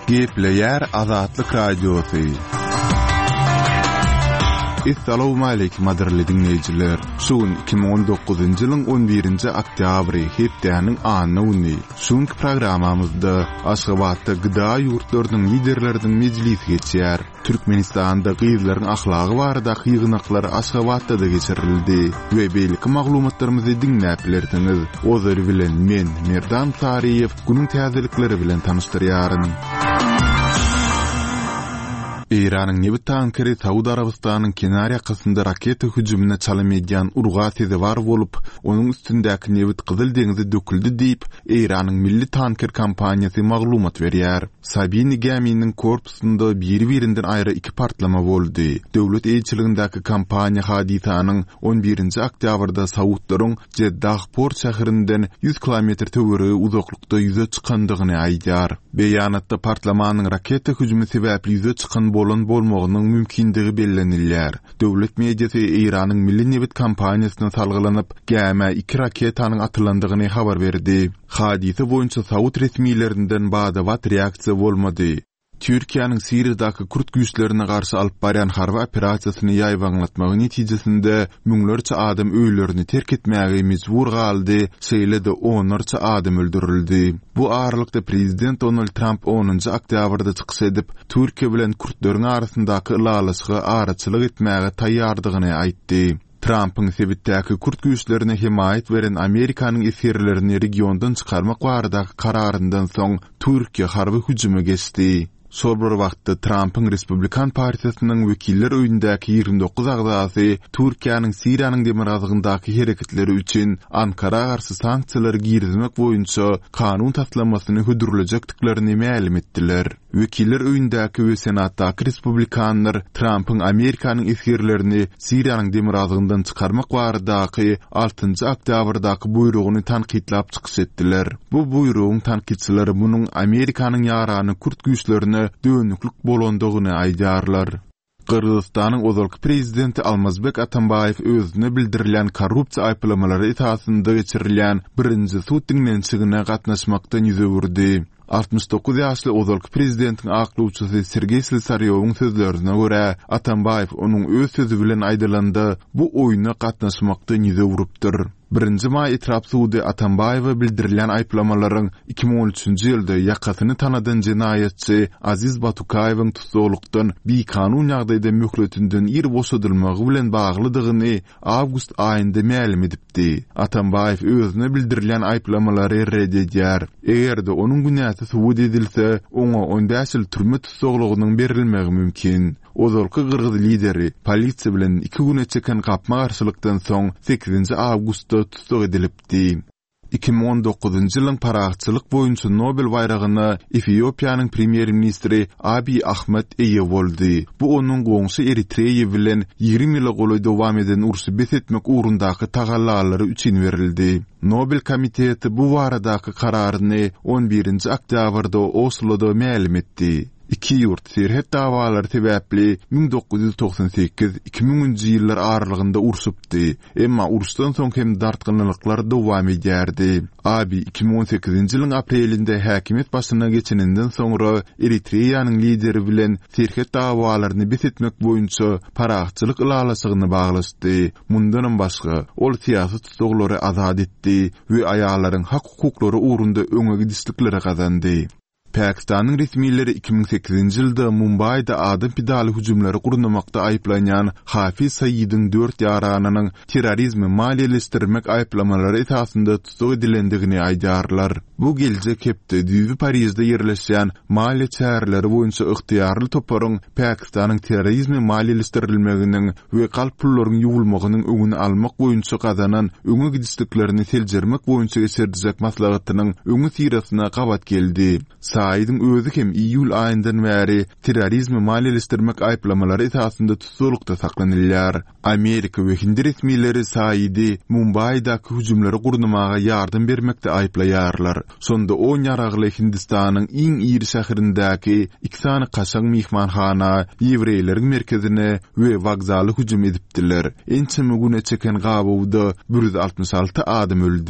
Gepleýär Azatlyk Radiosy. Essalawmaleýkim gadyrly diňleýjiler! Şu gün 2019-njy ýylyň 11-nji oktýabry, hepdäniň anna güni. Şu günki programmamyzda Aşgabatda GDA ýurtlarynyň liderleriniň mejlisi geçýär. Türkmenistanda gyzlaryň ahlagy baradaky ýygnaklar Aşgabatda-da geçirildi we beýleki maglumatlarymyzy diňläp bilersiňiz. Ozaly bilen men, Merdan Saryýew, günüň täzelikleri bilen tanyşdyrýaryn. Eýranyň nebit tankeri Saud Arabystanyň kenar ýakasynda raketa hüjümine çalym edýän urga sezewar bolup, onuň üstündäki nebit Gyzyl deňze döküldi diýip, Eýranyň milli tanker kompaniýasy maglumat berýär. Sabini gäminiň korpusynda biri-birinden aýry iki partlama boldy. Döwlet eýeçiligindäki kompaniýa hadysanyň on birinji oktýabrda saudlaryň Jeddah port şäherinden ýüz kilometr töweregi uzaklykda ýüze çykandygyny aýdýar. Beýanatda partlamanyň raketa hüjümi sebäpli ýüze çykan bolan bolmagynyň mümkindigi bellenilýär. Döwlet mediasy Eýranyň milli nebit kompaniýasyna salgylanyp, gämä iki raketanyň atylandygyny habar berdi. Hadysa boýunça saud resmilerinden bada-bat reaksiýa bolmady. Türkiýäniň Siriýadaky kürt güýçlerine garşy alyp barýan harby operasiýasyny ýaýbaňlatmagy netijesinde müňlerçe adam öýlerini terk etmäge mejbur galdy, şeýle-de onlarça adam öldürildi. Bu aralykda prezident Donald Tramp onunjy oktýabrda çykyş edip, Türkiýe bilen kürtleriň arasyndaky ylalaşyga araçylyk etmäge taýýardygyny aýtdy. Trampyň sebitdäki kürt güýçlerine hemaýat beren Amerikanyň esgerlerini regiondan çykarmak baradaky kararyndan soň Türkiýe harby hüjüme geçdi. Şol bir wagtda Trampyň Respublikan partiýasynyň Wekiller öýündäki 29 agzasy Türkiýäniň Siriýanyň demirgazygyndaky hereketleri üçin Ankara garşy sanksiýalary girizmek boýunça kanun taslamasyny hödürlejekdiklerini mälim etdiler. Wekiller öýündäki we Senatdaky respublikanlar Trampyň Amerikanyň esgerlerini Siriýanyň demirgazygyndan çykarmak baradaky altynjy oktýabrdaky buýrugyny tankytlap çykyş etdiler. Bu buýrugyň tankytçylary munuň Amerikanyň ýarany kürt güýçlerine dönüklik bolandygyny aýdýarlar. Gyrgyzystanyň ozalky prezidenti Almazbek Atambaýew özüne bildirilýän korrupsiýa aýyplamalary esasynda geçirilýän birinji sud diňlenişigine gatnaşmakdan ýüz öwürdi. 69 ýaşly ozalky prezidentiň aklawçysy Sergeý Slesarýowyň sözlerine görä, Atambaýew onuň öz sözi bilen aýdylanda, bu oýuna gatnaşmakdan ýüz öwrüpdir. Birinji maý etrap sudy Atambaýewe bildirilýän aýyplamalaryň 2013-nji ýylda ýakasyny tanadan jenaýatçy Aziz Batukaýewiň tussaglykdan bikanun ýagdaýda möhletinden ir boşadylmagy bilen baglydygyny awgust aýynda mälim edipdi. Atambaýew özüne bildirilýän aýyplamalary ret edýär. Eger-de onuň günäsi subut edilse, oňa on bäş ýyl türme tussaglygynyň berilmegi mümkin. Ozalky gyrgyz lideri polisiýa bilen iki güne çeken gapma-garşylykdan soň sekizinji awgustda tussag edilipdi. 2019-njy ýylyň parahatçylyk boýunça Nobel baýragyna Efiopiýanyň premýer-ministri Abiý Ahmed eýe boldy. Bu onuň goňşy Eritreýa bilen 20 ýyla golaý dowam eden urşy bes etmek ugrundaky tagallalary üçin berildi. Nobel komiteti bu baradaky kararyny on birinji oktýabrda Osloda mälim etdi. Iki ýurt serhet dawalary sebäpli 1998, 2000-nji ýyllar aralygynda urşupdy, emma uruşdan soň hem dartgynlylyklar dowam edýärdi. Abiý 2018-nji ýylyň aprelinde häkimiýet başyna geçeninden soňra Eritreýanyň lideri bilen serhet dawalaryny bes etmek boýunça parahatçylyk ylalaşygyny baglaşdy. Mundanam başga, ol syýasy tussaglary azat etdi we aýallaryň hak-hukuklary ugrunda öňe gidişlikleri gazandy. Pakistanyň resmileri 2008-nji ýylda Mumbaýda adam pidaly hüjümleri gurnamakda aýyplanýan Hafiz Saidiň dört ýaranynyň terrorizmi maliýeleşdirmek aýyplamalary esasynda tussag edilendigini aýdýarlar. Bu geljek hepde düýbi Parižde ýerleşýän maliýe çäreleri boýunça ygtyýarly toparyň Pakistanyň terrorizmi maliýeleşdirilmeginiň we galp pullaryň ýuwulmagynyň öňüni almak boýunça gazanan öňe gidişliklerini seljermek boýunça geçiriljek maslahatynyň öňüsyrasyna gabat geldi. Saidiň özi hem iýul aýyndan bäri terrorizmi maliýeleşdirmek aýyplamalary esasynda tussaglykda saklanylýar. Amerika we hindi resmileri Saidi Mumbaýdaky hüjümleri gurnamaga ýardam bermekde aýyplaýarlar. Şonda on ýaragly Hindistanyň iň iri şäherindäki iki sany kaşaň myhmanhana, ýewreýleriň merkezine we wokzala hüjüm edipdiler. Ençeme güne çeken gabawda 166 adam öldi.